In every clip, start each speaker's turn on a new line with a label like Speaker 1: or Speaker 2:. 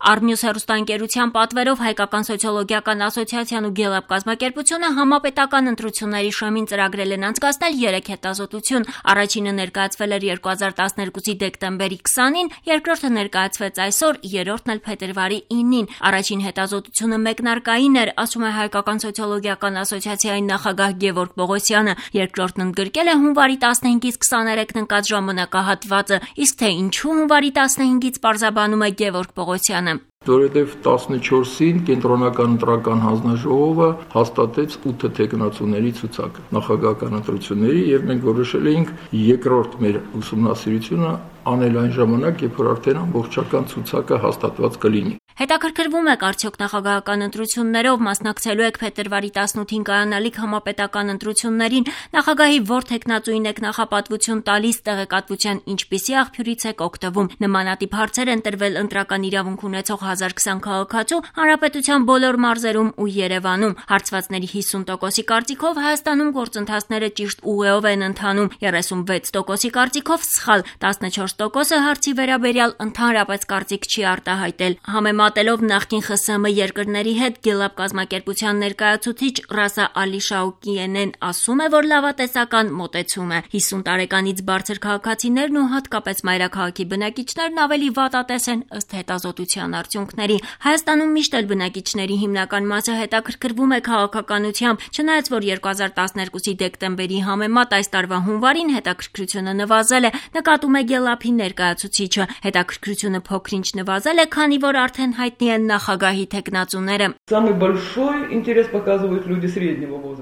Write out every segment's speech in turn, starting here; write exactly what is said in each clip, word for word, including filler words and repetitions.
Speaker 1: Արմյուս հեռուստաընկերության պատվերով Հայկական սոցիոլոգիական ասոցիացիան ու Գելլափ կազմակերպությունը համապետական ընտրությունների շեմին ծրագրել են անցկացնել երեք հետազոտություն։ Առաջինը ներկայացվել էր երկու հազար տասներկուսի դեկտեմբերի քսանին, երկրորդը ներկայացվեց այսօր, երրորդն էլ փետրվարի ինին։ Առաջին հետազոտությունը մեկնարկային էր, ասում է Հայկական սոցիոլոգիական ասոցիացիայի նախագահ Գևորգ Պողոսյանը։ Երկրորդն ընդգրկել է հունվարի տասնհինգից քսաներեքն ընկած ժամանակահատվածը, իսկ թե ինչու հունվարի տասնհինգից պարզաբանում է Գևորգ Պողոսյանը։
Speaker 2: Որովհետև տասնչորսին կենտրոնական ընտրական հանձնաժողովը հաստատեց ութ թեկնածուների ցուցակը նախագահական ընտրությունների, եւ մենք որոշել էինք երկրորդ մեր ուսումնասիրությունը անել այն ժամանակ, երբ որ արդեն ամբողջական ցուցակը հաստատված կլինի։
Speaker 1: Հետաքրքրվում եք արդյոք նախագահական ընտրություններով մասնակցելու եք փետրվարի տասնութին կայանալիք համապետական ընտրություններին, նախագահի որ թեկնածուին եք նախապատվություն տալիս, տեղեկատվության ինչպիսի աղբյուրից եք օգտվում։ Նմանատիպ հարցեր են տրվել ընտրական իրավունք ունեցող հազար քսան քաղաքացու հանրապետության բոլոր մարզերում ու Երևանում։ Հարցվածների հիսուն տոկոսի կարծիքով Հայաստանում գործընթացները ճիշտ ուղեով են ընթանում, երեսունվեց տոկոսի կարծիքով սխալ, տասնչորս տոկոսը հարցի վերաբերյալ ընդհանրապես կարծիք չի արտահայտել։ Համեմատելով նախկին Խ Սը Մ երկրների հետ, Գելլափ կազմակերպության ներկայացուցիչ Ռասա Ալիշաուկիենեն ասում է, որ լավատեսական մոտեցում է։ հիսուն տարեկանից բարձր քաղաքացիներն ու հատկապես մայրաքաղաքի բնակիչներն ավելի վատատես են ըստ հետազոտության արդյունքների։ Հայաստանում միշտ էլ բնակիչների հիմնական մասը հետաքրքրվում է քաղաքականությամբ, չնայած որ երկու հազար տասներկուսի դեկտեմբերի համեմատ այս տարվա հունվարին հետաքրքրությունը նվազել է, նկատում է Գելլափի ներկայացուցիչը։ Հետաքրքրությունը փոքրինչ նվազել է, քանի որ արդեն հայտնի են նախագահի թեկնածուները։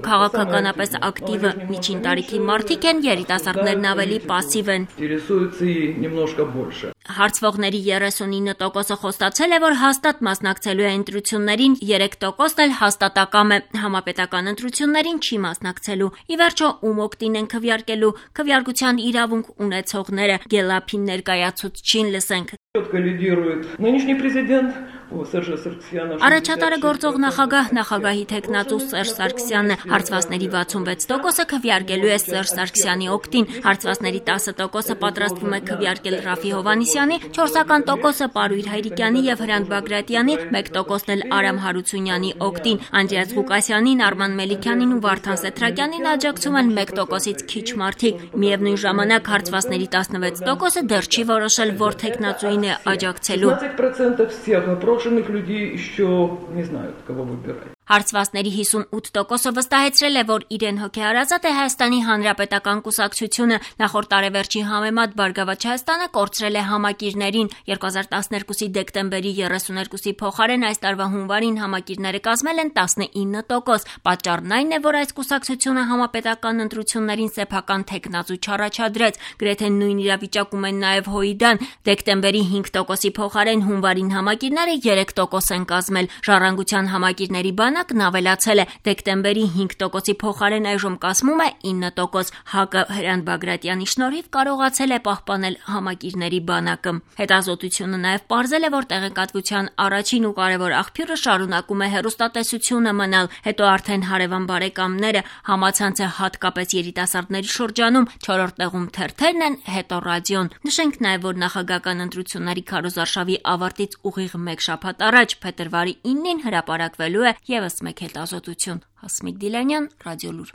Speaker 1: Քաղաքականապես ակտիվը միջին տարիքի մարդիկ են, երիտասարդներն ավելի պասիվ են։ Հարցվողների երեսունինը տոկոսը խոստացել է, որ հաստատ մասնակցելու է ընտրություններին, երեք տոկոսն էլ հաստատակամ է, համապետական ընտրություններին չի մասնակցելու։ Ի վերջո, ում օգտին են քվեարկելու, քվեարկության իրավունք ունեցողները։ Գելլափի ներկայացուցչին լսենք։ Առաջատարը գործող նախագահ նախագահի թեկնածու Սերժ Սարգսյանն է։ Հարցվածների վաթսունվեց տոկոսը քվեարկելու է Սերժ Սարգսյանի օգտին, հարցվածների տասը տոկոսը պատրաստվում է քվեարկել Ռաֆի Հովհաննիսյանի, չորսական տոկոսը Պարույր Հայրիկյանի եւ Հրանտ Բագրատյանի, մեկ տոկոսն էլ Արամ Հարությունյանի օգտին։ Անդրեաս Ղուկասյանին, Արման Մելիքյանին ու Վարդան Սեթրակյանին աջակցում են մեկ տոկոսից քիչ մարդիկ։ Միևնույն ժամանակ հարցվածների տասնվեց տոկոսը դեռ չի որոշել, որ թեկնածուին է աջակցելու։ Հարցվածների հիսուն ութ տոկոսը վստահեցրել է, որ իրեն հոգեհարազատ է Հայաստանի Հանրապետական կուսակցությունը։ Նախորդ տարեվերջի համեմատ Բարգավաճ Հայաստանը կորցրել է համակիրներին։ երկու հազար տասներկուսի դեկտեմբերի երեսուներկուսի փոխարեն այս տարվա հունվարին համակիրները կազմել են տասնինը տոկոս։ Պատճառն այն է, որ այս կուսակցությունը համապետական ընտրություններին սեփական թեկնածու չառաջադրեց։ Գրեթե նույն իրավիճակում են նաև Հույդան։ Դեկտեմբերի հինգ տոկոսի փոխարեն հունվարին համակիրները երեք տոկոս են կազմել։ Ժառանգության համակիրների բանակն ավելացել է։ Դեկտեմբերի հինգ տոկոսի փոխարեն այժմ կազմում է ինը տոկոս։ ՀԱԿ-ը Հրանտ Բագրատյանի շնորհիվ կարողացել է պահպանել համակիրների բանակը։ Հետազոտությունը նաև պարզել է, որ տեղեկատվության առաջին ու կարևոր աղբյուրը շարունակում է հեռուստատեսությունը մնալ, հետո արդեն հարևան բարեկամները, համացանցը հատկապես երիտասարդների շրջանում, չորրորդ տեղում թերթերն են, հետո ռադիոն։ Նշենք նաև, որ նախագահական ընտրությունների քարոզարշավի ավարտից ուղիղ մեկ շաբաթ առաջ փետրվարի ինին հրապարակվելու է ևս մեկ հետազոտություն։ Հասմիկ Դիլանյան, Ռադիոլուր։